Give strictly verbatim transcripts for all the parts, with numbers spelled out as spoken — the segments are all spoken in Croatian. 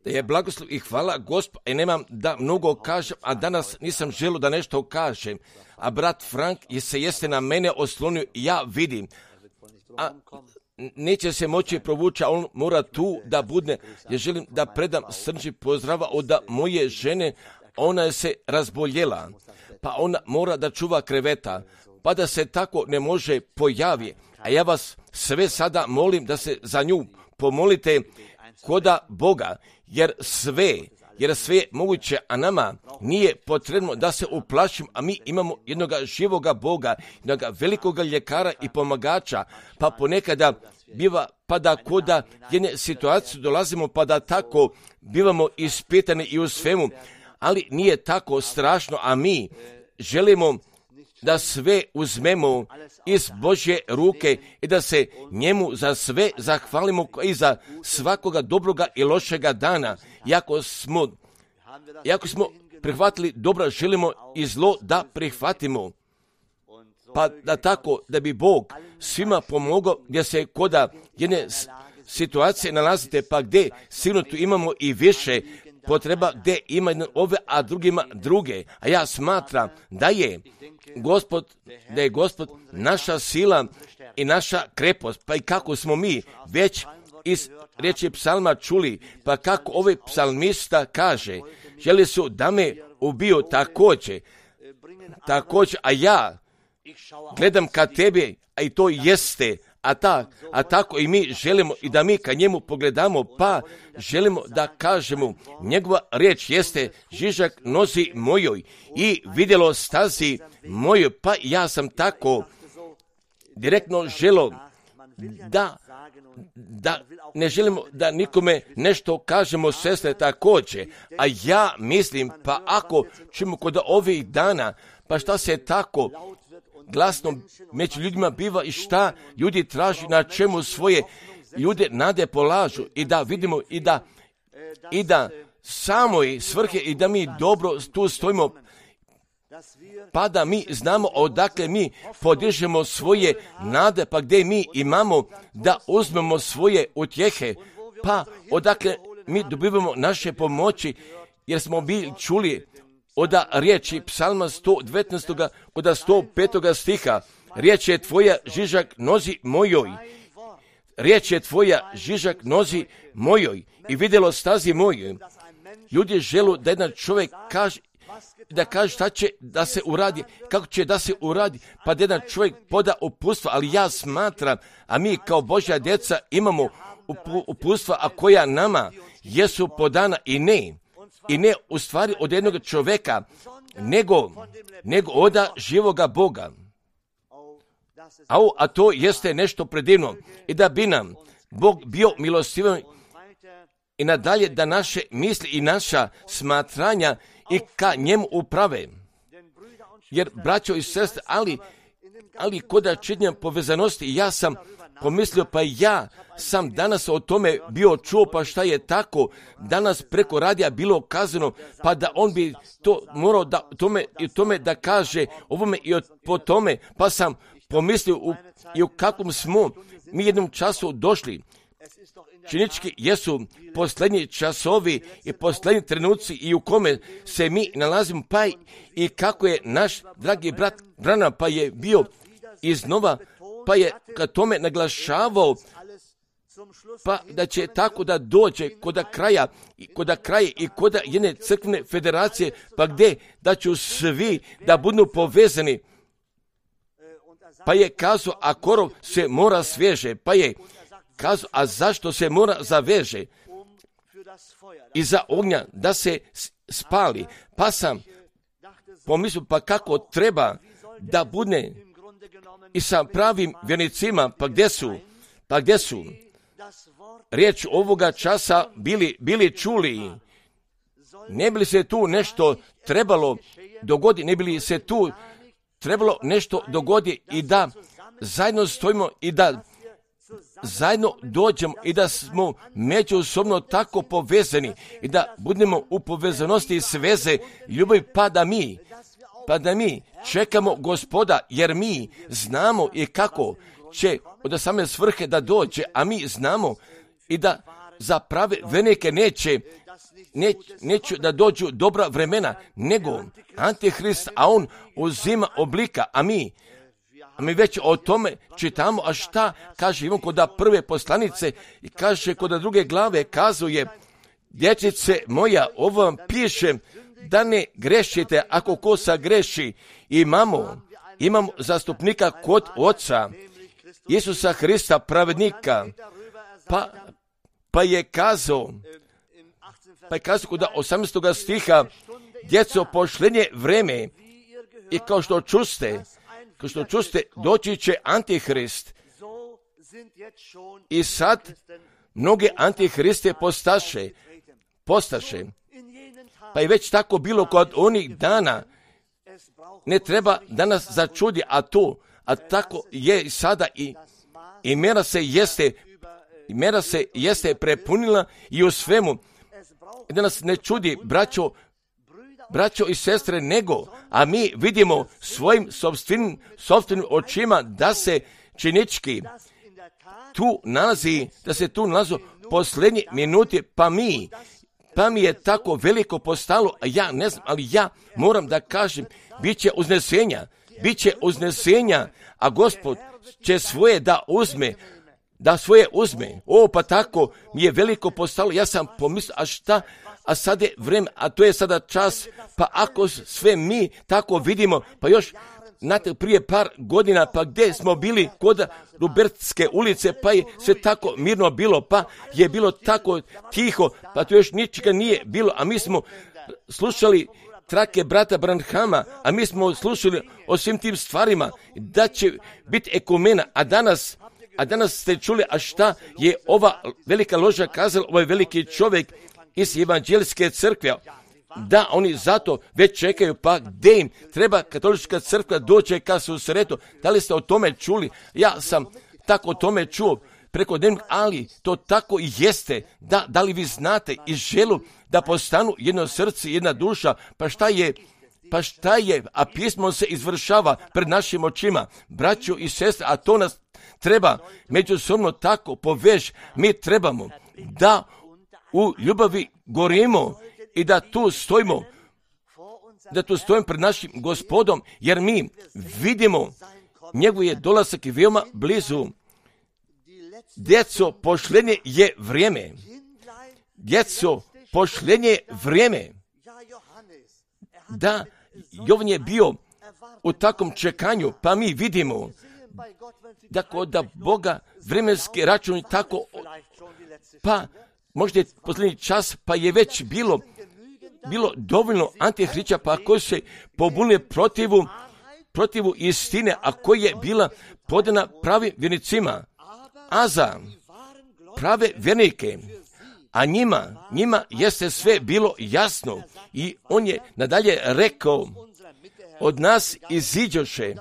Da je blagoslov i hvala Gospod, i nemam da mnogo kažem, a danas nisam želio da nešto kažem. A brat Frank je se jeste na mene oslonio, ja vidim. A neće se moći provući, a on mora tu da budne. Ja želim da predam srđi pozdrava od moje žene, ona je se razboljela, pa ona mora da čuva kreveta, pa da se tako ne može pojavi. A ja vas sve sada molim da se za nju pomolite koda Boga, jer sve, jer sve je moguće, a nama nije potrebno da se uplašim, a mi imamo jednog živoga Boga, jednog velikog ljekara i pomagača, pa ponekada biva, pa da koda jedne situacije dolazimo, pa da tako bivamo ispitani i u svemu, ali nije tako strašno, a mi želimo da sve uzmemo iz Božje ruke i da se njemu za sve zahvalimo i za svakoga dobroga i lošega dana. Iako smo, iako smo prihvatili dobro, želimo i zlo da prihvatimo. Pa da tako, da bi Bog svima pomogao gdje se koda jedne situacije nalazite, pa gdje sigurno tu imamo i više potreba, gdje ima jedan ove, a drugima druge. A ja smatram da je Gospod, da je Gospod naša sila i naša krepost, pa i kako smo mi već iz riječi psalma čuli, pa kako ovaj psalmista kaže, želi su da me ubiju također, također, a ja gledam ka tebi, a i to jeste, a, ta, a tako i mi želimo i da mi ka njemu pogledamo, pa želimo da kažemo, njegova riječ jeste žižak nozi mojoj i vidjelo stazi mojoj, pa ja sam tako direktno želo da, da ne želimo da nikome nešto kažemo, sestre, također, a ja mislim, pa ako ćemo kod ovih dana, pa šta se tako glasno među ljudima biva i šta ljudi traži, na čemu svoje ljude nade polažu i da vidimo i da, i da samoj svrhe i da mi dobro tu stojimo, pa da mi znamo odakle mi podižemo svoje nade, pa gdje mi imamo da uzmemo svoje utjehe, pa odakle mi dobivamo naše pomoći, jer smo bili čuli od riječi psalma sto devetnaest. od sto pet. stiha, riječ je tvoja žižak nozi mojoj, riječ je tvoja žižak nozi mojoj i vidjelo stazi mojoj. Ljudi žele da jedan čovjek kaže, da kaže šta će da se uradi, kako će da se uradi, pa da jedan čovjek poda uputstva, ali ja smatram, a mi kao Božja djeca imamo uputstva, a koja nama jesu podana i ne, i ne u stvari od jednog čovjeka, nego, nego od živoga Boga. A, a to jeste nešto predivno. I da bi nam Bog bio milostivan i nadalje da naše misli i naša smatranja i ka njemu uprave. Jer, braćo i sestre, ali, ali kod činjenja povezanosti, ja sam pomislio, pa ja sam danas o tome bio čuo, pa šta je tako danas preko radija bilo kazano, pa da on bi to morao da, tome, i tome da kaže ovome i po tome, pa sam pomislio u, i u kakvom smo mi jednom času došli. Činički jesu posljednji časovi i posljednji trenuci i u kome se mi nalazimo, pa i kako je naš dragi brat Branham pa je bio iznova, pa je ka tome naglašavao, pa da će tako da dođe kod kraja, kod kraja i kod jedne crkvene federacije, pa gdje da će svi da budu povezani. Pa je kazao, a korov se mora sveže, pa je kazao, a zašto se mora zaveže? Iza ognja da se spali. Pa sam pomislio, pa kako treba da bude i sa pravim vjernicima, pa gdje su, pa gdje su riječ ovoga časa bili, bili čuli, ne bi li se tu nešto trebalo dogoditi, ne bi li se tu trebalo nešto dogodi i da zajedno stojimo i da zajedno dođemo i da smo međusobno tako povezani i da budemo u povezanosti i sveze ljubavi, pa da mi, pa da mi čekamo Gospoda, jer mi znamo i kako će od same svrhe da dođe, a mi znamo i da za prave vernike neće, neć, neće da dođu dobra vremena, nego Antihrist, a on uzima oblika, a mi, a mi već o tome čitamo, a šta kaže Ivan kod prve poslanice i kaže kod druge glave, kazuje, dječice moja, ovo vam piše da ne grešite, ako ko sagreši. Imamo, imamo zastupnika kod Oca, Isusa Hrista, pravednika, pa, pa je kazao, pa je kazao kod osamnaestog stiha, djeco, pošlenje vreme, i kao što čuste, kao što čuste, doći će Antihrist. I sad mnoge Antihriste postaše, postaše. Pa je već tako bilo kod onih dana. Ne treba da nas začudi, a to, a tako je i sada i, i mera se jeste, i mera se jeste prepunila i u svemu. Da nas ne čudi, braćo, braćo i sestre, nego, a mi vidimo svojim sopstvenim, sopstvenim očima da se činički tu nalazi, da se tu nalazi posljednje minute, pa mi, pa mi je tako veliko postalo, a ja ne znam, ali ja moram da kažem, bit će uznesenja, bit će uznesenja, a Gospod će svoje da uzme, da svoje uzme. O, pa tako mi je veliko postalo, ja sam pomislio, a šta, a sad je vreme, a to je sada čas, pa ako sve mi tako vidimo, pa još, znate, prije par godina, pa gdje smo bili kod Rubertske ulice, pa je sve tako mirno bilo, pa je bilo tako tiho, pa to još ničega nije bilo, a mi smo slušali trake brata Branhama, a mi smo slušali o svim tim stvarima, da će biti ekumena, a danas, a danas ste čuli, a šta je ova velika loža kazala, ovaj veliki čovjek iz evanđeljske crkve, da oni zato već čekaju, pa gdje im treba katolička crkva dođe ka susretu. Da li ste o tome čuli? Ja sam tako o tome čuo preko dnevnog, ali to tako i jeste. Da, da li vi znate i želu da postanu jedno srce, jedna duša, pa šta je, pa šta je, a pismo se izvršava pred našim očima, braćo i sestre, a to nas treba međusobno tako povež, mi trebamo da u ljubavi gorimo i da tu stojimo, da tu stojimo pred našim Gospodom, jer mi vidimo njegov je dolazak i veoma blizu. Djeco, pošlenje je vrijeme. Djeco, pošlenje je vrijeme. Da, Jovan je bio u takvom čekanju, pa mi vidimo da kod Boga vremenski račun tako, pa možda je posljednji čas, pa je već bilo, bilo dovoljno antihrića, pa koji se pobunili protivu, protivu istine, a koja je bila podana pravim vjernicima, a za prave vjernike, a njima, njima jeste sve bilo jasno i on je nadalje rekao, od nas iziđoše,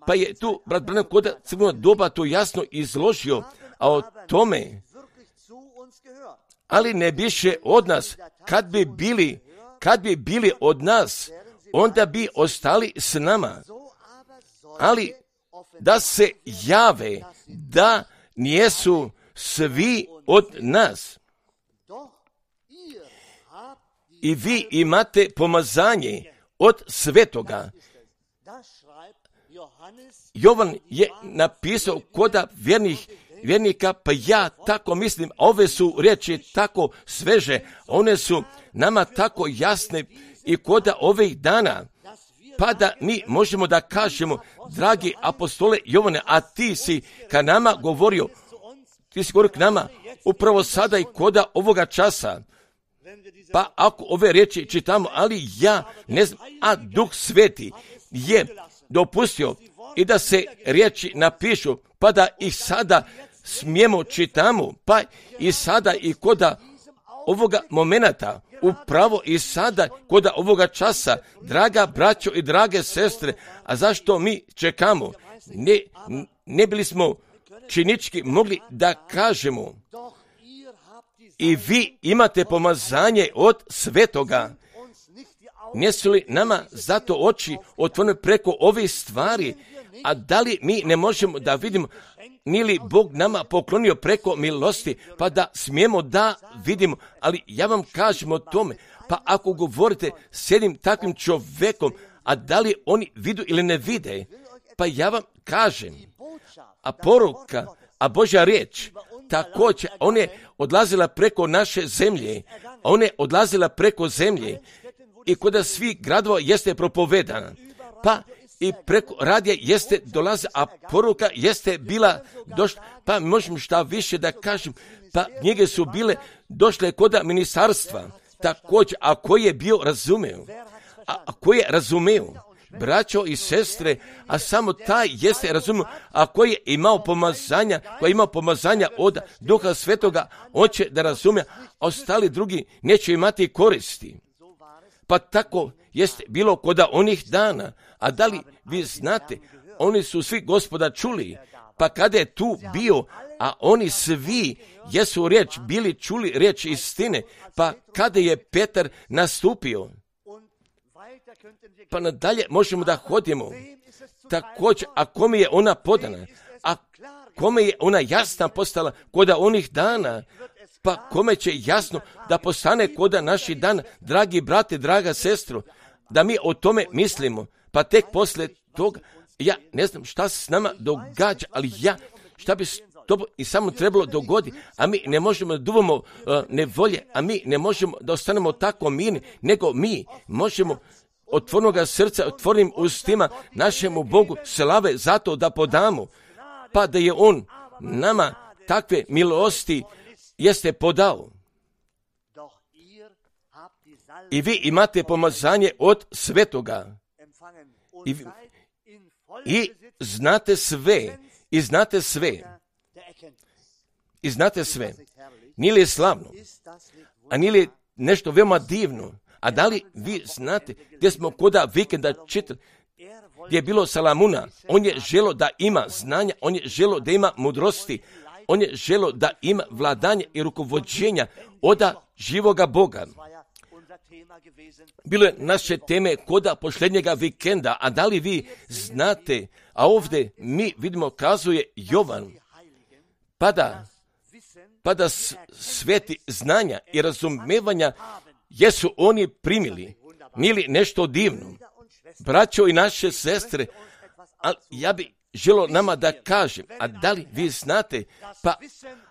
pa je tu brat Branham kod crvenog doba to jasno izložio, a o tome, ali ne biše od nas, kad bi bili, kad bi bili od nas, onda bi ostali s nama, ali da se jave da nijesu svi od nas. I vi imate pomazanje od svetoga. Jovan je napisao koda vjernih vjernika, pa ja tako mislim, ove su riječi tako sveže, one su nama tako jasne i koda ovih dana, pa da mi možemo da kažemo, dragi apostole Jovane, a ti si ka nama govorio, ti si govorio k nama upravo sada i koda ovoga časa. Pa ako ove riječi čitamo, ali ja ne znam, a Duh Sveti je dopustio i da se riječi napišu, pa da ih sada smijemo čitamo, pa i sada i koda ovoga momenata, upravo i sada koda ovoga časa, draga braćo i drage sestre, a zašto mi čekamo? Ne, ne bili smo činički mogli da kažemo, i vi imate pomazanje od svetoga. Nisu li nama zato oči otvorene preko ovih stvari, A da li mi ne možemo da vidimo, nije li Bog nama poklonio preko milosti, pa da smijemo da vidimo, ali ja vam kažem o tome, pa ako govorite s jednim takvim čovjekom, a da li oni vidu ili ne vide, pa ja vam kažem, a poruka, a Božja riječ, također, ona je odlazila preko naše zemlje, ona je odlazila preko zemlje i kod svih gradova jeste propovedana, pa i preko radija jeste dolaze, a poruka jeste bila došla, pa možemo šta više da kažem, pa knjige su bile došle kod ministarstva, također, a koji je bio razumeo, a koji je razumeo, braćo i sestre, a samo taj jeste razumio, a koji je imao pomazanja, koji je imao pomazanja od Duha Svetoga, on će da razumije, a ostali drugi neće imati koristi. Pa tako jeste bilo kod onih dana, a da li vi znate, oni su svi Gospoda čuli, pa kada je tu bio, a oni svi jesu riječ, bili čuli riječ istine, pa kada je Petar nastupio, pa nadalje možemo da hodimo. Također, a kome je ona podana, a kome je ona jasna postala kod onih dana, pa kome će jasno da postane kod naših dana, dragi brate, draga sestro, da mi o tome mislimo, pa tek posle toga, ja ne znam šta se s nama događa, ali ja, šta bi to i samo trebalo dogoditi, a mi ne možemo da duvamo uh, nevolje, a mi ne možemo da ostanemo tako mirni, nego mi možemo otvornoga srca, otvornim ustima našemu Bogu slave zato da podamo, pa da je On nama takve milosti jeste podao. I vi imate pomazanje od Svetoga. I, i znate sve, i znate sve, i znate sve. Nije li slavno, a nije li nešto veoma divno? A da li vi znate gdje smo koda vikenda čitali, gdje je bilo Salamuna, on je želo da ima znanja, on je želo da ima mudrosti, on je želo da ima vladanje i rukovođenja oda živoga Boga. Bilo je naše teme koda posljednjega vikenda, a da li vi znate, a ovdje mi vidimo kazuje Jovan, pada, pada sveti znanja i razumevanja jesu oni primili. Nije li nešto divno? Braćo i naše sestre, ali ja bi želo nama da kažem, a da li vi znate, pa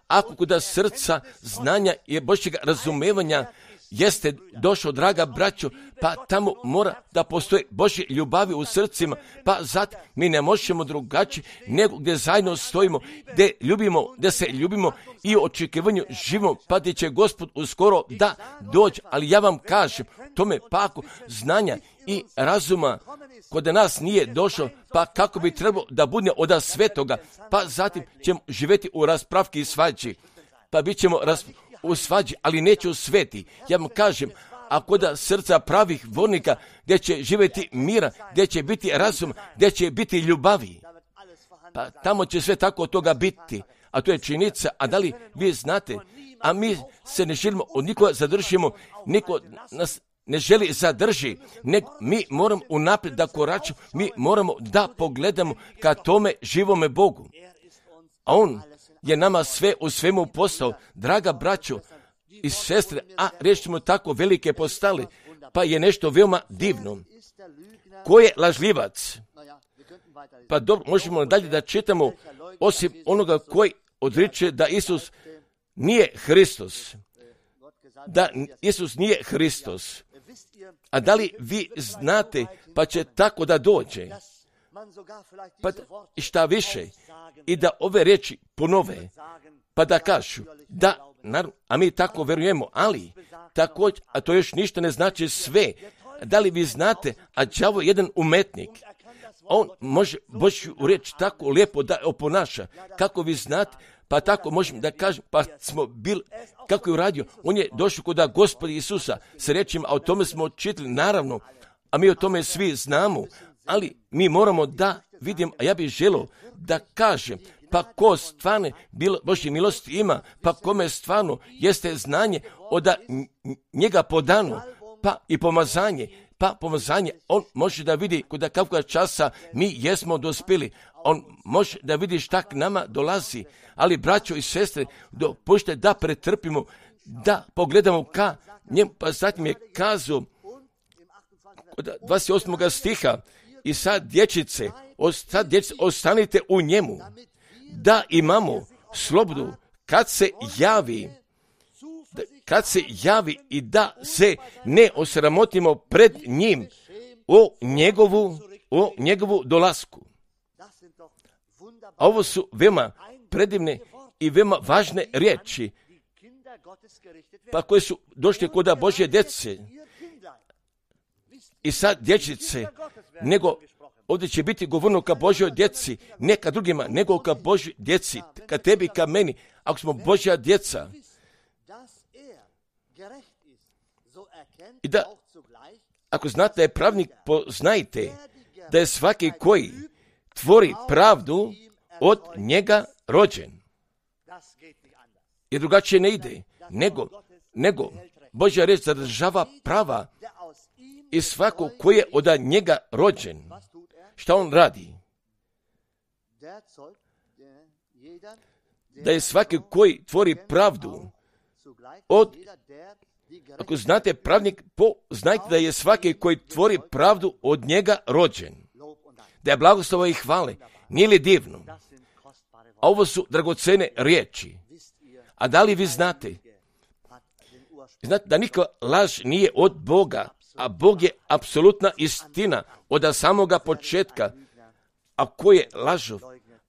ako kod srca znanja i Božjega razumevanja jeste došao, draga braćo, pa tamo mora da postoje Božje ljubavi u srcima, pa zato mi ne možemo drugačije nego gdje zajedno stojimo, gdje ljubimo, gdje se ljubimo i u očekivanju živimo, pa gdje će Gospod uskoro da dođe. Ali ja vam kažem, tome paku znanja i razuma kod nas nije došao, pa kako bi trebalo da bude od Svetoga, pa zatim ćemo živjeti u raspravki i svađi, pa bit ćemo raspravki u svađi, ali neće u sveti. Ja vam kažem, a kod srca pravih vornika, gdje će živjeti mira, gdje će biti razum, gdje će biti ljubavi, pa tamo će sve tako od toga biti. A to je činjenica, a da li vi znate, a mi se ne želimo od nikoga zadržimo, niko nas ne želi zadrži, nego mi moramo unaprijed da koračimo, mi moramo da pogledamo ka tome živome Bogu. A On je nama sve u svemu postao, draga braćo i sestre, a rečimo tako velike postali, pa je nešto veoma divno. Ko je lažljivac? Pa dobro, možemo dalje da čitamo, osim onoga koji odriče da Isus nije Hristos. Da Isus nije Hristos. A da li vi znate, pa će tako da dođe? Pa šta više, i da ove riječi ponove, pa da kažu, da, naravno, a mi tako verujemo, ali također, a to još ništa ne znači sve. Da li vi znate, a đavo je jedan umetnik, on može Božju riječ tako lijepo da oponaša, kako vi znate, pa tako možemo da kažem, pa smo bili, kako je uradio, on je došao kod Gospoda Isusa s riječima, a o tome smo čitali, naravno, a mi o tome svi znamo, ali mi moramo da vidimo, a ja bih želio da kažem, pa ko stvarno Božje milosti ima, pa kome stvarno jeste znanje od njega podano, pa i pomazanje, pa pomazanje, on može da vidi kuda kakva časa mi jesmo dospjeli. On može da vidi šta k nama dolazi. Ali, braćo i sestre, dopustite da pretrpimo, da pogledamo ka njemu, pa zatim je kazao kod dvadeset osmog stiha, i sad dječice, sad dječice, ostanite u njemu, da imamo slobodu kad se javi, kad se javi i da se ne osramotimo pred njim o njegovu, o njegovu dolasku. A ovo su veoma predivne i veoma važne riječi, pa koje su došle kod Božje djece. I sad dječice, nego ovdje će biti govorno ka Božjoj djeci, ne ka drugima, nego ka Božjoj djeci, ka tebi, ka meni, ako smo Božja djeca. I da, ako znate da je pravnik, poznajte da je svaki koji tvori pravdu od njega rođen. Jer drugačije ne ide, nego, nego Božja riječ zadržava prava i svako koji je od njega rođen. Šta on radi? Da je svaki koji tvori pravdu od, ako znate pravnik, znajte da je svaki koji tvori pravdu od njega rođen. Da je blagoslova i hvale. Nije li divno? A ovo su dragocene riječi. A da li vi znate? Znate da nikakva laž nije od Boga, a Bog je apsolutna istina od samoga početka. A ko je lažov?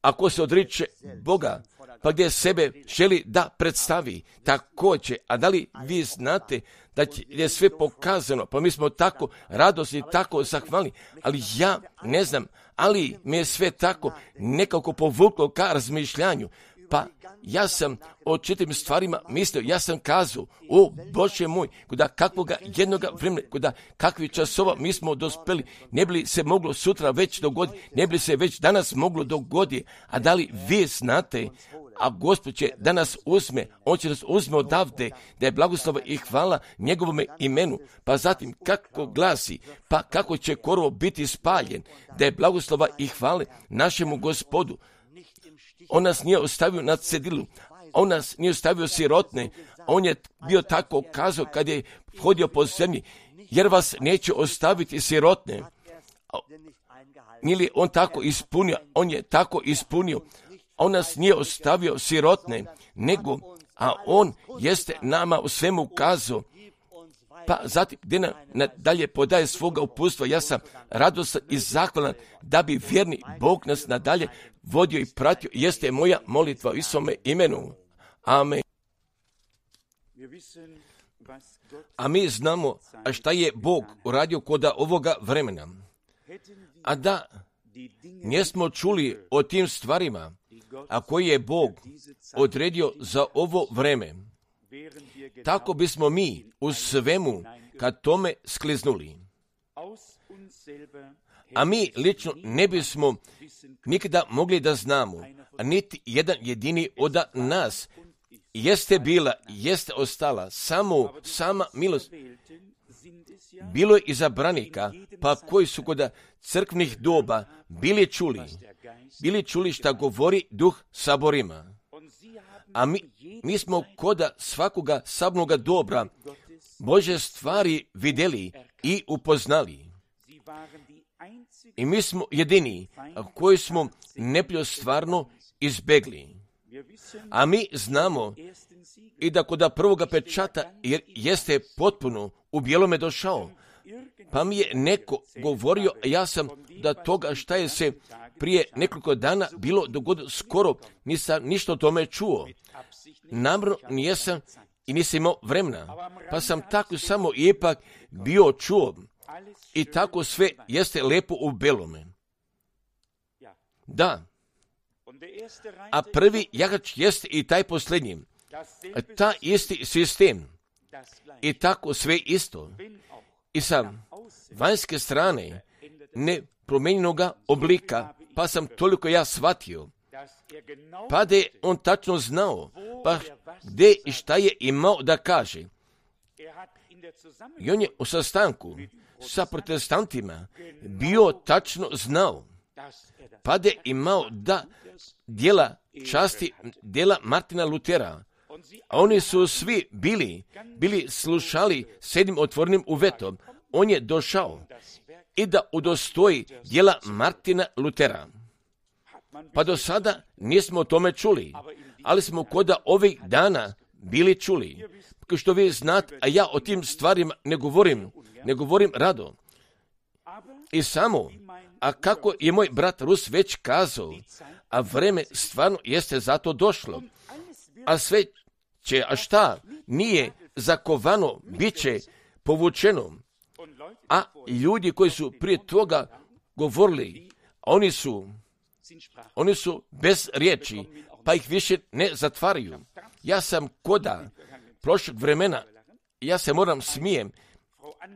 Ako se odriče Boga, pa gdje sebe želi da predstavi, također. A da li vi znate da je sve pokazano, pa mi smo tako radosni, tako zahvalni, ali ja ne znam, ali mi je sve tako nekako povuklo ka razmišljanju. Pa ja sam o četiri stvarima mislio, ja sam kazao, o Bože moj, kuda kakvoga jednoga vremena, kuda kakvi časova mi smo dospeli, ne bi li se moglo sutra već dogoditi, ne bi li se već danas moglo dogoditi, a da li vi znate, a Gospod će da nas uzme, on će nas uzme odavde, da je blagoslova i hvala njegovome imenu, pa zatim kako glasi, pa kako će korov biti spaljen, da je blagoslova i hvale našemu Gospodu. On nas nije ostavio na cedilu, on nas nije ostavio sirotne, on je bio tako kazao kad je hodio po zemlji, jer vas neće ostaviti sirotne. Nije li on tako ispunio? On je tako ispunio. On nas nije ostavio sirotne, nego, a on jeste nama u svemu kazao. Pa zatim, gdje nam nadalje podaje svoga upustva, ja sam radostan i zahvalan da bi vjerni Bog nas nadalje vodio i pratio, jeste moja molitva u Isome imenu. Amen. A mi znamo a šta je Bog uradio kod ovoga vremena. A da nismo čuli o tim stvarima, a koji je Bog odredio za ovo vreme, tako bismo mi u svemu kad tome skliznuli. A mi lično ne bismo nikada mogli da znamo, a niti jedan jedini od nas jeste bila, jeste ostala samo sama milost. Bilo je izabranika, pa koji su kod crkvnih doba bili čuli, bili čuli šta govori Duh saborima. A mi, mi smo kod svakoga sabnoga dobra Bože stvari vidjeli i upoznali. I mi smo jedini koji smo neprijatelja stvarno izbegli. A mi znamo i da kod prvoga pečata jer jeste potpuno u bijelome došao. Pa mi je neko govorio, ja sam da toga šta je se prije nekoliko dana bilo dogodilo skoro, nisam ništa o tome čuo. Namjerno nisam i nisam imao vremena, pa sam tako samo ipak bio čuo. I tako sve jeste lepo u belome. Da. A prvi jagač jeste i taj posljednji. Ta isti sistem. I tako sve isto. I sa vanjske strane nepromijenjenoga oblika, pa sam toliko ja shvatio. Pa da je on tačno znao, pa gdje i šta je imao da kaže. I on je u sastanku sa protestantima bio tačno znao, pa da je imao da djela časti, djela Martina Lutera, a oni su svi bili, bili slušali s jednim otvorenim uvetom. On je došao i da udostoji djela Martina Lutera. Pa do sada nismo o tome čuli, ali smo koda ovih dana bili čuli. Kao što vi znate, a ja o tim stvarima ne govorim, ne govorim rado. I samo, a kako je moj brat Rus već kazao, a vreme stvarno jeste zato došlo. A sve će, a šta nije zakovano, bit će povučeno. A ljudi koji su prije toga govorili, oni su, oni su bez riječi, pa ih više ne zatvaraju. Ja sam koda prošlog vremena, ja se moram smijem,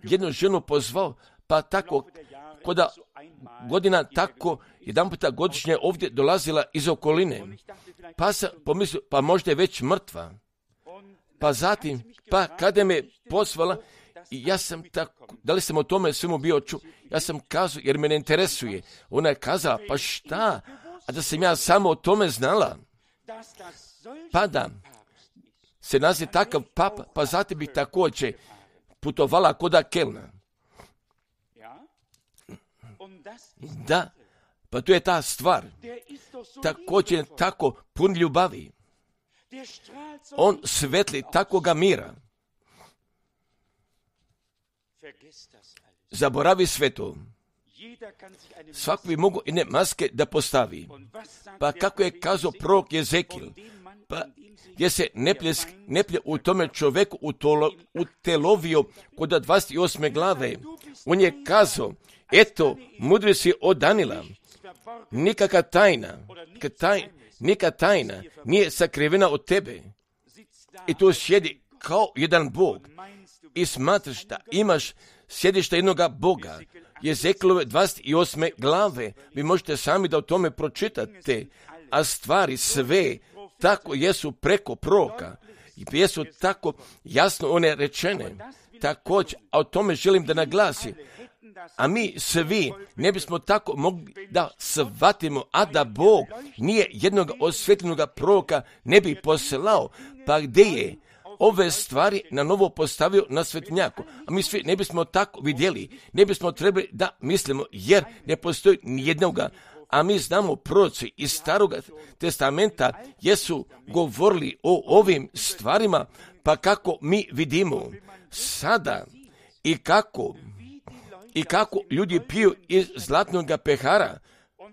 jednu ženu pozvao, pa tako, koda godina tako, jedan puta godišnje ovdje dolazila iz okoline, pa sam pomislio, pa možda je već mrtva. Pa zatim, pa kada me pozvala, ja sam tako, da li sam o tome svemu bio čuo, ja sam kazao, jer me ne interesuje. Ona je kazala, pa šta, a da sam ja samo o tome znala, pa da se naziv takav papa, pa zatim bih također putovala koda Kelna. Da, pa to je ta stvar. Također je tako pun ljubavi. On svetli takoga mira. Zaboravi sve to. Svako bi mogo jedne maske da postavi. Pa kako je kazao prorok Jezekil, pa gdje se neplje, neplje u tome čovjeku utolo, utelovio kod dvadeset osme glave. On je kazao, eto, mudri si od Danila, nikakva tajna, taj, neka tajna nije sakrivena od tebe. I tu sjedi kao jedan Bog i smatraš da imaš sjedište jednoga Boga. Jezekilove dvadeset osme glave, vi možete sami da o tome pročitate, a stvari sve tako jesu preko proroka i jesu tako jasno one rečene. Također, a o tome želim da naglasim, a mi svi ne bismo tako mogli da shvatimo, a da Bog nije jednog osvjetljenoga proroka ne bi poslao, pa gdje je ove stvari na novo postavio na svetljaku. A mi svi ne bismo tako vidjeli, ne bismo trebali da mislimo, jer ne postoji nijednoga. A mi znamo, proroci iz Starog testamenta jesu govorili o ovim stvarima, pa kako mi vidimo sada i kako i kako ljudi piju iz zlatnog pehara,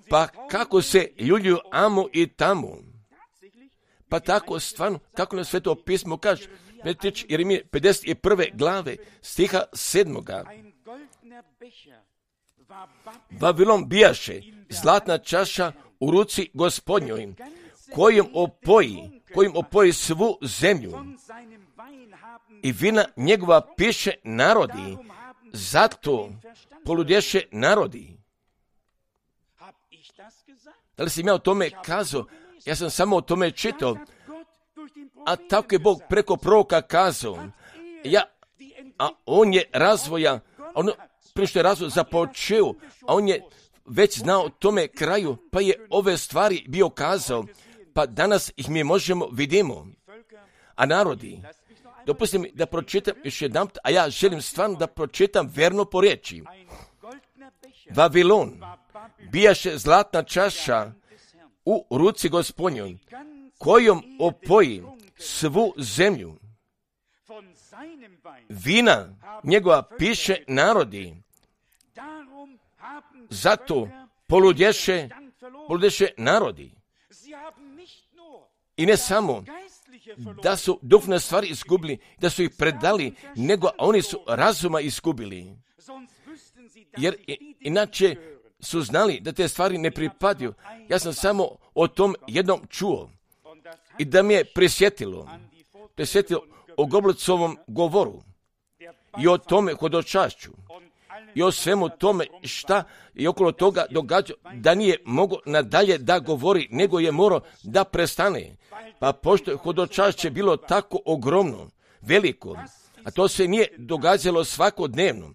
pa kako se ljuljuju amo i tamo. Pa tako stvarno, kako na Sveto pismo kaže, Jeremije pedeset prve glave, stiha sedmoga. Vavilon bijaše zlatna čaša u ruci Gospodnjoj, kojom opoji, kojom opoji svu zemlju. I vina njegova piše narodi, zato poludješe narodi. Da li sam ja o tome kazao? Ja sam samo o tome čitao. A tako je Bog preko proroka kazao. Ja, a on je razvoja, ono, prije što je razvoj započeo, a on je već znao o tome kraju, pa je ove stvari bio kazao, pa danas ih mi možemo vidimo. A narodi, dopustite mi da pročitam još jedan, a ja želim stvarno da pročitam verno po riječi. Vavilon bijaše zlatna čaša u ruci Gospodnjoj, kojom opoji svu zemlju. Vina njegova piše narodi, zato poludješe, poludješe narodi. I ne samo da su duhovne stvari izgubili, da su ih predali, nego oni su razuma izgubili. Jer inače su znali da te stvari ne pripadaju. Ja sam samo o tom jednom čuo i da mi je prisjetilo, prisjetilo o Goblicovom govoru i o tome hodočašću i o svemu tome šta i okolo toga događa, da nije mogao nadalje da govori, nego je morao da prestane. Pa pošto je hodočašće bilo tako ogromno, veliko, A to se nije događalo svakodnevno.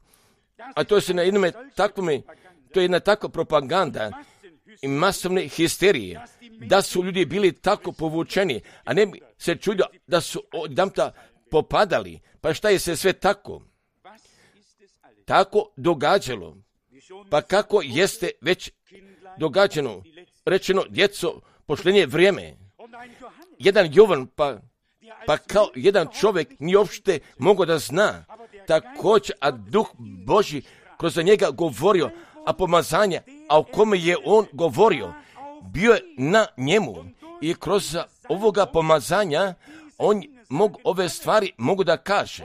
A to se na jednome takvome, to je jedna takva propaganda i masovne histerije, da su ljudi bili tako povučeni, a ne bi se čudio da su odjedanputa popadali. Pa šta je se sve tako? Tako događalo. Pa kako jeste već događano, rečeno, djeco, pošlenje vrijeme. Jedan Jovan, pa, pa kao jedan čovjek nije uopšte mogao da zna, također, a Duh Božji kroz njega govorio, a pomazanje, a o kome je on govorio, bio je na njemu. I kroz ovoga pomazanja, on mogu, ove stvari mogu da kaže.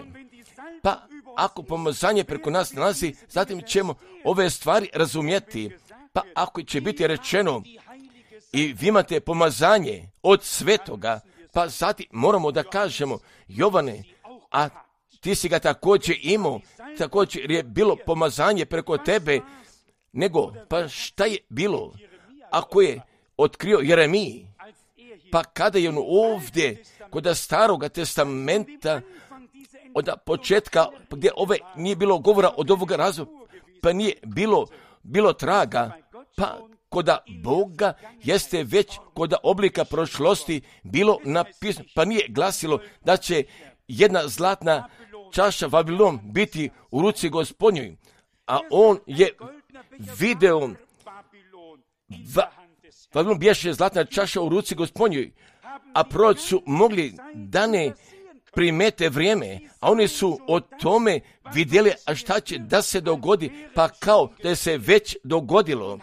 Pa ako pomazanje preko nas nalazi, zatim ćemo ove stvari razumjeti. Pa ako će biti rečeno i vi imate pomazanje od svetoga, pa zatim moramo da kažemo, Jovane, a ti si ga također imao, također je bilo pomazanje preko tebe, nego, pa šta je bilo ako je otkrio Jeremiji? Pa kada je on ovdje, kod staroga testamenta, od početka, gdje ove nije bilo govora od ovoga razloga, pa nije bilo, bilo traga, pa koda Boga jeste već koda oblika prošlosti bilo napisano, pa nije glasilo da će jedna zlatna čaša Vavilon biti u ruci Gospodnjoj, a on je video va, Vavilon biješe zlatna čaša u ruci Gospodnjoj, a proroci su mogli da ne primete vrijeme, a oni su o tome vidjeli, a šta će da se dogodi, pa kao da se već dogodilo.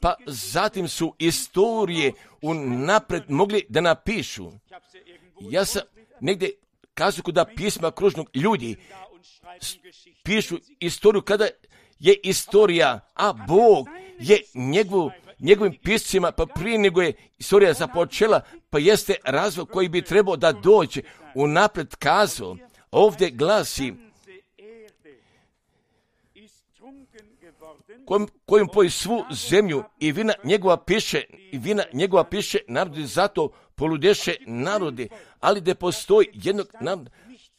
Pa zatim su istorije unapred mogli da napišu. Ja sam negdje kazao da pisma kružnog ljudi pišu istoriju kada je istorija, a Bog je njegov, njegovim piscima, pa prije nego je istorija započela, pa jeste razvoj koji bi trebao da dođe unapred kazao. Ovdje glasi kojim, kojim poji svu zemlju i vina njegova piše, i vina njegova piše narodi, zato poludeše narodi, ali da postoji jednog naroda,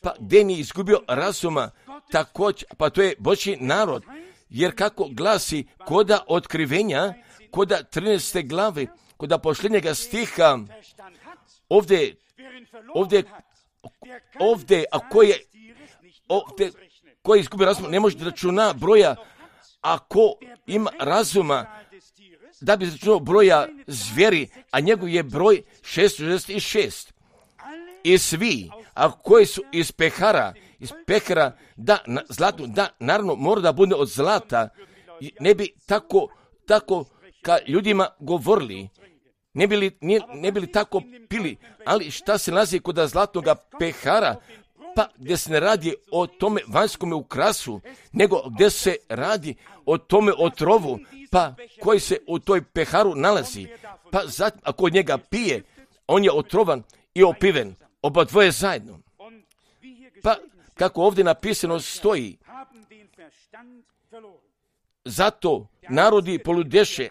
pa gdje nije izgubio razuma, također, pa to je Božji narod, jer kako glasi koda otkrivenja, koda trinaeste glave, koda posljednjega stiha, ovdje, ovdje, ovdje, a ko je, ovdje, ko je izgubio razuma, ne može da računa broja, ako ima razuma, da bi računao broja zvijeri, a njegov je broj šesto šezdeset šest. I svi, a koji su iz pehara, iz pehara, da, na, zlatu, da, naravno, mora da bude od zlata, ne bi tako, tako ka ljudima govorili, ne bi li, ne, ne bi li tako pili, ali šta se nalazi kod zlatnoga pehara, pa gdje se ne radi o tome vanjskom ukrasu, nego gdje se radi o tome otrovu, pa koji se u toj peharu nalazi, pa zatim ako od njega pije, on je otrovan i opiven, oba dvoje zajedno. Pa kako ovdje napisano stoji, zato narodi poludeše,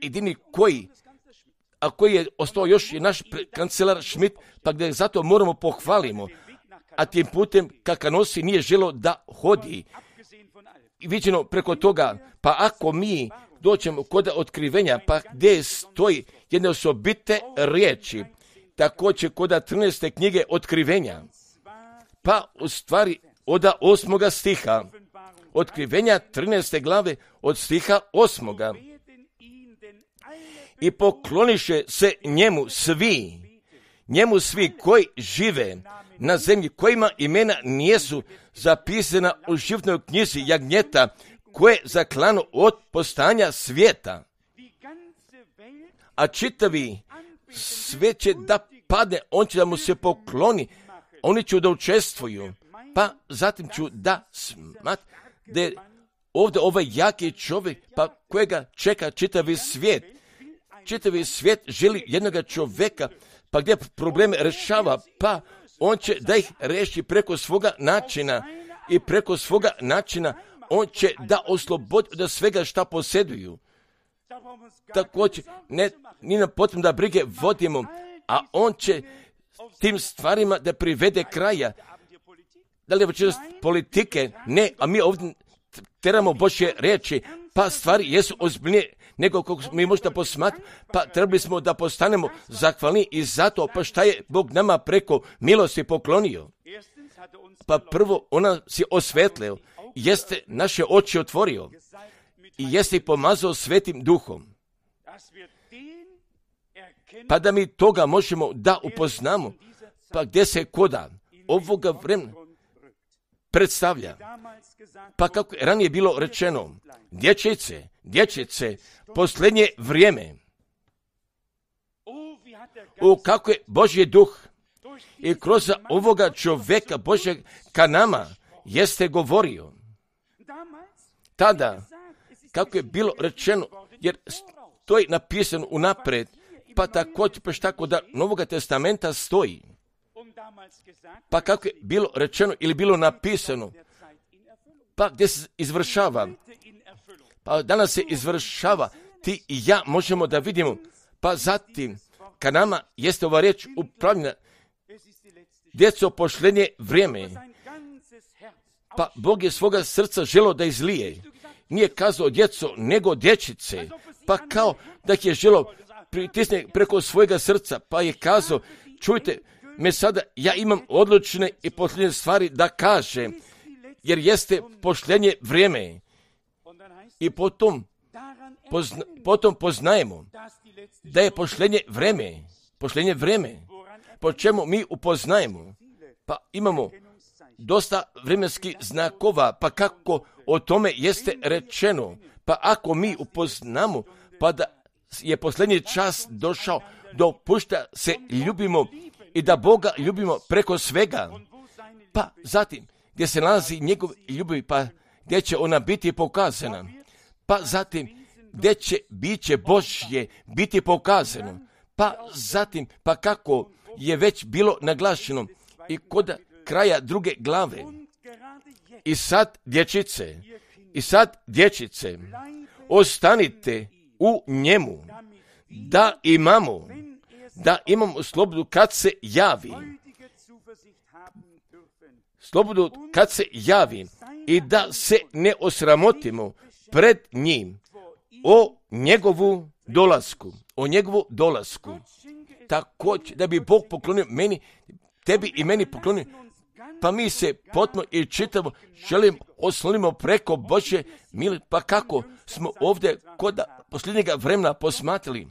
jedini koji, a koji je ostao još je naš kancelar Schmidt, pa gdje zato moramo pohvalimo, a tim putem Kakanosi nije želo da hodi. I viđeno preko toga, pa ako mi doćemo kod otkrivenja, pa gdje stoji jedne osobite riječi, također kod trinaeste knjige otkrivenja, pa u stvari od osmoga stiha, otkrivenja trinaeste glave od stiha osmoga. I pokloniše se njemu svi, njemu svi koji žive na zemlji, kojima imena nijesu zapisana u životnoj knjizi jagnjeta, koje je zaklano od postanja svijeta. A čitavi sve će da padne, on će da mu se pokloni, oni će da učestvuju, pa zatim ću da smat, da je ovdje ovaj jaki čovjek, pa kojega čeka čitavi svijet. Čitavi svijet želi jednoga čovjeka, pa gdje probleme rešava, pa on će da ih reši preko svoga načina i preko svoga načina on će da oslobodi od svega šta posjeduju. Također, ne, nije nam potrebno da brige vodimo, a on će tim stvarima da privede kraja. da li je večeras politike? Ne, a mi ovdje teramo Božje riječi, pa stvari jesu ozbiljnije nego kako mi možda posmatrati, pa trebali smo da postanemo zahvalni i zato, pa šta je Bog nama preko milosti poklonio? Pa prvo, ona si osvetlio, jeste naše oči otvorio i jeste ih pomazao Svetim Duhom. Pa da mi toga možemo da upoznamo, pa gdje se koda ovoga vremena predstavlja. Pa kako je ranije bilo rečeno, dječice, dječice, posljednje vrijeme. U kako je Božji duh i kroz ovoga čovjeka Božjeg ka nama jeste govorio. Tada, kako je bilo rečeno, jer to je napisano unaprijed, pa također pa tako da Novoga testamenta stoji. Pa kako je bilo rečeno ili bilo napisano, pa gdje se izvršava, pa danas se izvršava, ti i ja možemo da vidimo, pa zatim, ka nama jeste ova riječ upravljena, djeco posljednje vrijeme, pa Bog je svoga srca želo da izlije, nije kazao djeco, nego dječice, pa kao da ih je želo pritisne preko svojega srca, pa je kazao, čujte me sada, ja imam odlučne i posljednje stvari da kažem, jer jeste posljednje vrijeme. I potom, pozna, potom poznajemo da je posljednje vrijeme, posljednje vrijeme, po čemu mi upoznajemo, pa imamo dosta vremenskih znakova, pa kako o tome jeste rečeno, pa ako mi upoznamo, pa da je posljednji čas došao, dopušta se ljubimo i da Boga ljubimo preko svega, pa zatim gdje se nalazi njegov ljubav, pa gdje će ona biti pokazana, pa zatim gdje će biće Božje biti pokazano, pa zatim pa kako je već bilo naglašeno i kod kraja druge glave. I sad dječice, i sad dječice, ostanite u njemu, da imamo, da imamo slobodu kad se javi. Slobodu kad se javi i da se ne osramotimo pred njim o njegovu dolasku, o njegovu dolasku. Također da bi Bog poklonio meni, tebi i meni poklonio, pa mi se potpuno i čitamo, želim oslonimo preko Božje mili, pa kako smo ovdje kod posljednjega vremena posmatrali.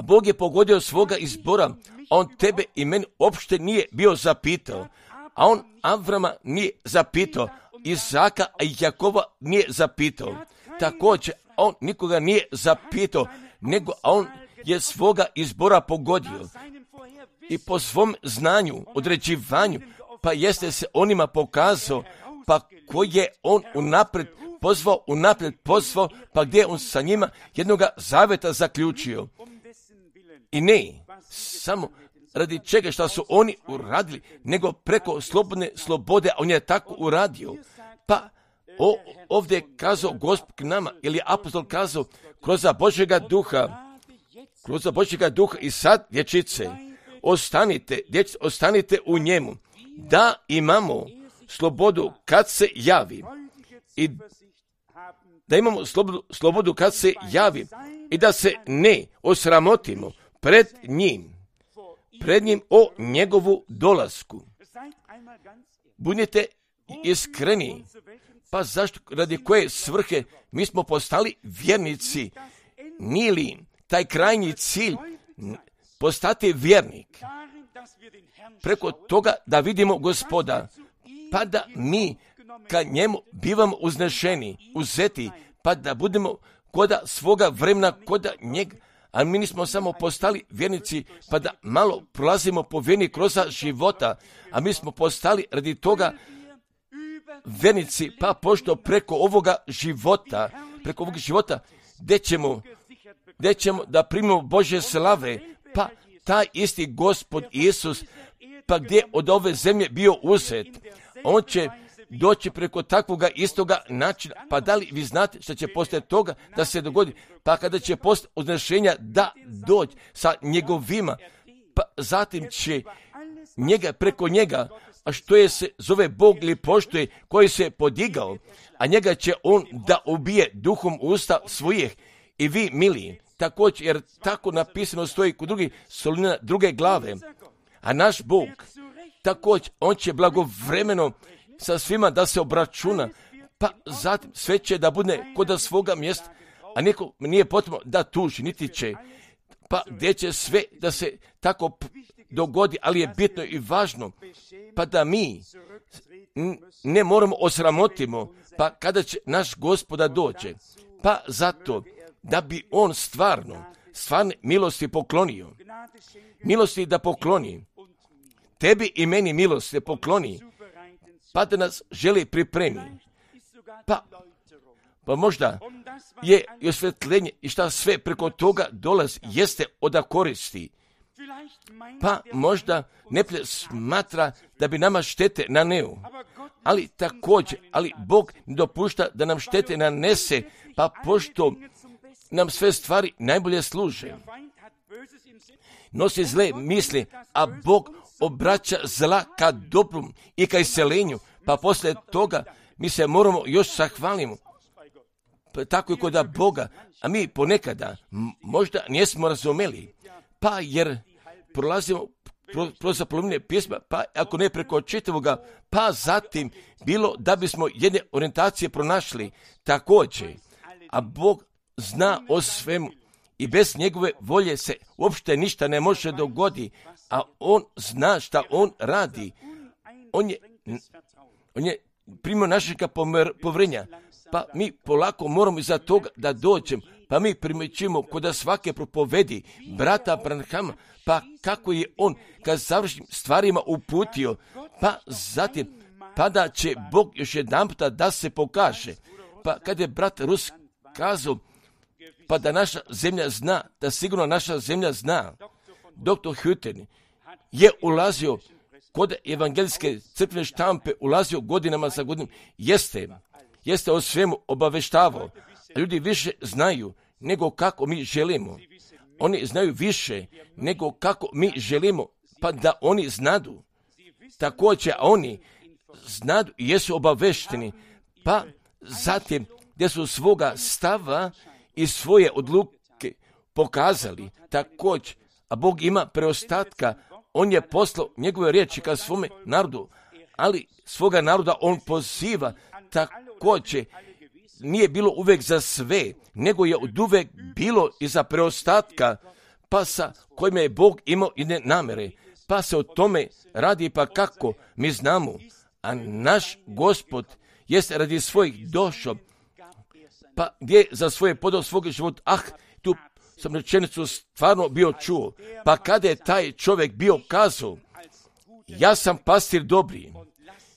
Bog je pogodio svoga izbora, a on tebe i meni uopšte nije bio zapitao, a on Avrama nije zapitao, Izaka i Jakova nije zapitao. Također, on nikoga nije zapitao, nego on je svoga izbora pogodio. I po svom znanju, određivanju, pa jeste se onima pokazao, pa koji je on unaprijed pozvao, unaprijed pozvao, pa gdje je on sa njima jednoga zaveta zaključio. I ne, samo radi čega što su oni uradili, nego preko slobodne slobode, a on je tako uradio. Pa o, ovdje je kazao Gospod k nama, ili apostol kazao, kroz Božjega duha, kroz Božjega duha i sad, dječice, ostanite, dječice, ostanite u njemu, da imamo slobodu kad se javi i da imamo slobodu, slobodu kad se javi i da se ne osramotimo pred njim, pred njim o njegovu dolasku. Budite iskreni, pa zašto, radi koje svrhe mi smo postali vjernici, nije li taj krajnji cilj postati vjernik, preko toga da vidimo Gospoda, pa da mi ka njemu bivamo uznešeni, uzeti, pa da budemo koda svoga vremena, koda njega, a mi nismo samo postali vjernici, pa da malo prolazimo po vjeni kroz života, a mi smo postali radi toga vjernici, pa pošto preko ovoga života, preko ovoga života, gdje ćemo, gdje ćemo da primimo Božje slave, pa taj isti Gospod Isus, pa gdje od ove zemlje bio uzet, on će doći preko takvoga istoga načina, pa da li vi znate što će poslije toga da se dogodi, pa kada će poslije uznešenja da doći sa njegovima, pa zatim će njega, preko njega a što je se zove Bog ili poštuje, koji se podigao, a njega će on da ubije duhom usta svojih. I vi, mili, također, jer tako napisano stoji kod drugih solina druge glave. A naš Bog, također, on će blagovremeno sa svima da se obračuna, pa zatim sve će da bude kod svoga mjesta, a niko nije potrebno da tuži, niti će, pa gdje će sve da se tako dogodi, ali je bitno i važno, pa da mi ne moramo osramotimo, pa kada će naš Gospoda dođe, pa zato da bi on stvarno, stvarne milosti poklonio, milosti da pokloni, tebi i meni milosti pokloni, pa da nas želi pripremi, pa, pa možda je i osvjetljenje i šta sve preko toga dolazi, jeste oda koristi. Pa možda ne smatra da bi nama štete naneo, ali također, ali Bog ne dopušta da nam štete nanese, pa pošto nam sve stvari najbolje služe. Nosi zle misli, a Bog obraća zla ka dobrom i ka iselenju, pa poslije toga mi se moramo još zahvalimo. Pa tako je kod Boga, a mi ponekada možda nismo razumeli, pa jer prolazimo kroz zaplovljene pjesme, pa ako ne preko čitavoga, pa zatim bilo da bismo jedne orijentacije pronašli također, a Bog zna o svemu i bez njegove volje se uopšte ništa ne može dogoditi, a on zna šta on radi. On je, on je primio našega povrenja, pa mi polako moramo iza toga da dođemo, pa mi primjećujemo kod svake propovedi brata Branhama, pa kako je on kad završnim stvarima uputio, pa zatim pa da će Bog još jedan puta da se pokaže. Pa kad je brat Rus kazao, pa da naša zemlja zna, da sigurno naša zemlja zna, doktor Hütten je ulazio kod evangelijske crkvene štampe, ulazio godinama za godinom, jeste, jeste o svemu obaveštavao. Ljudi više znaju nego kako mi želimo. Oni znaju više nego kako mi želimo, pa da oni znadu. Također, oni znadu i jesu obavešteni, pa zatim gdje su svoga stava i svoje odluke pokazali. Također, a Bog ima preostatka, on je poslao njegove riječi ka svome narodu, ali svoga naroda on poziva. Također, nije bilo uvijek za sve, nego je od uvijek bilo i za preostatka, pa sa kojima je Bog imao jedne namere, pa se o tome radi, pa kako mi znamo, a naš Gospod jest radi svojih došao, pa gdje za svoje podao svog života, ah, tu sam rečenicu stvarno bio čuo, pa kada je taj čovjek bio kazao, ja sam pastir dobri,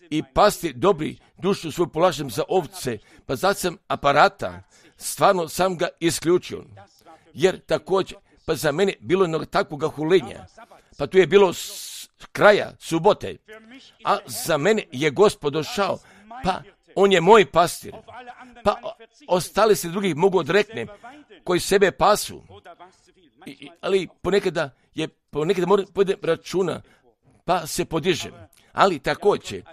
i pastir dobri dušu svoju polažem za ovce, pa zato sam aparata, stvarno sam ga isključio, jer također, pa za mene bilo jednog takvoga hulenja, pa tu je bilo s kraja subote, a za mene je Gospod došao, pa on je moj pastir, pa ostali se drugih mogu odrekne, koji sebe pasu, I, ali ponekada je, ponekada moram podem računa, pa se podižem, ali također,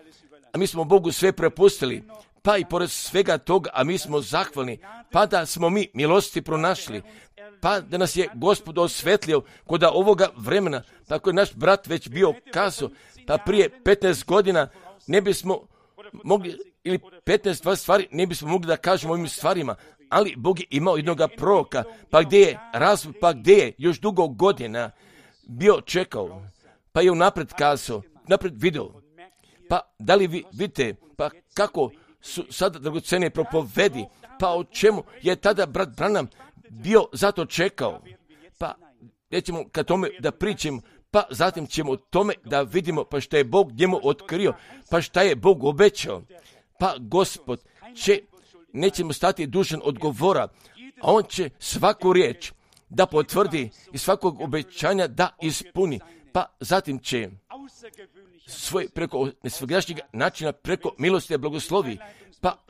a mi smo Bogu sve prepustili, pa i pored svega toga, a mi smo zahvalni, pa da smo mi milosti pronašli, pa da nas je Gospod osvetlio kod ovoga vremena, pa koji je naš brat već bio kazao, pa prije petnaest godina ne bismo mogli, ili petnaest dvadeset stvari, ne bismo mogli da kažemo ovim stvarima, ali Bog je imao jednoga proroka, pa gdje je razvoj, pa gdje je još dugo godina bio čekao, pa je unapred kazao, napred video, pa da li vi vidite, pa kako su sada dragocene propovedi, pa o čemu je tada brat Branham bio zato čekao, pa nećemo kad tome da pričamo, pa zatim ćemo o tome da vidimo pa šta je Bog njemu otkrio, pa šta je Bog obećao, pa Gospod će, nećemo stati dužan odgovora, a on će svaku riječ da potvrdi i svakog obećanja da ispuni, pa zatim će svoj preko nesvogdašnjeg načina, preko milosti i blagoslovi, pa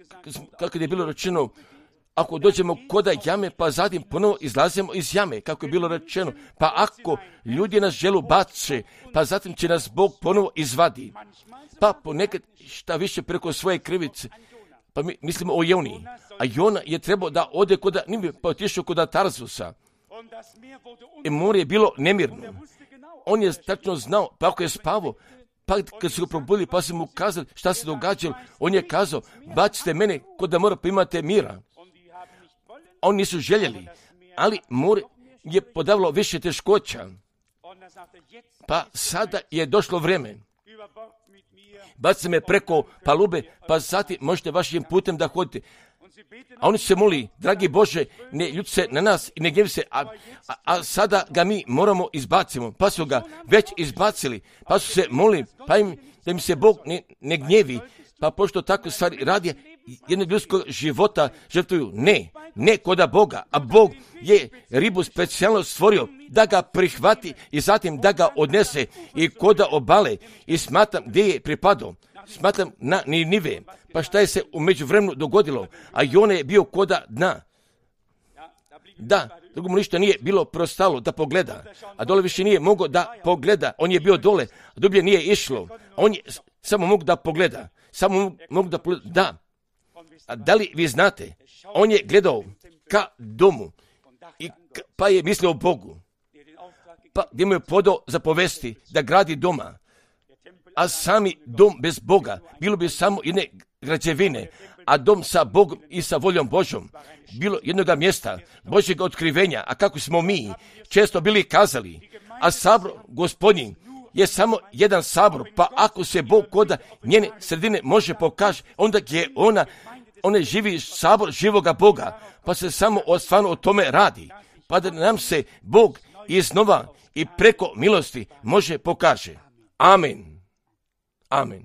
kako je bilo rečeno ako dođemo koda jame, pa zatim ponovo izlazimo iz jame, kako je bilo rečeno. Pa ako ljudi nas želu bace, pa zatim će nas Bog ponovo izvadi. Pa ponekad šta više preko svoje krivice, pa mi mislimo o Joni. A Jona je trebao da ode koda Ninive, pa otišao koda Tarzusa. I more je bilo nemirno. On je tačno znao, pa ako je spavao, pa kad su ga probudili, pa su mu kazali šta se događalo, on je kazao, bacite mene kod da mora, pa imate mira. Oni nisu željeli, ali more je podavilo više teškoća. Pa sada je došlo vrijeme. Bacite me preko palube, pa zatim možete vašim putem da hodite. A oni se moli, dragi Bože, ne ljuti se na nas i ne gnjevi se, a, a, a sada ga mi moramo izbacimo. Pa su ga već izbacili, pa su se moli, pa im, da im se Bog ne, ne gnjevi. Pa pošto tako stvari radi, jednog ljudskog života žrtvuju. Ne, ne koda Boga, a Bog je ribu specijalno stvorio da ga prihvati i zatim da ga odnese i koda obale. I smatram gdje je pripadao, smatram na Ninive. Pa šta je se u međuvremenu dogodilo? A Jona je bio koda dna. Da, drugom ništa nije bilo prostalo da pogleda, a dole više nije mogao da pogleda. On je bio dole, a dublje nije išlo. On je samo mogu da pogleda. Samo mogu da pogleda. Da. A da li vi znate? On je gledao ka domu i ka, pa je mislio o Bogu. Pa gdje mu je podao zapovesti da gradi doma. A sami dom bez Boga bilo bi samo jedne građevine, a dom sa Bogom i sa voljom Božom bilo jednoga mjesta Božjeg otkrivenja. A kako smo mi često bili kazali, a sabor Gospodnji je samo jedan sabor, pa ako se Bog koda njene sredine može pokaže, onda je ona, ona živi sabor živoga Boga, pa se samo o, stvarno o tome radi, pa da nam se Bog iznova i preko milosti može pokaže. Amen. Amen.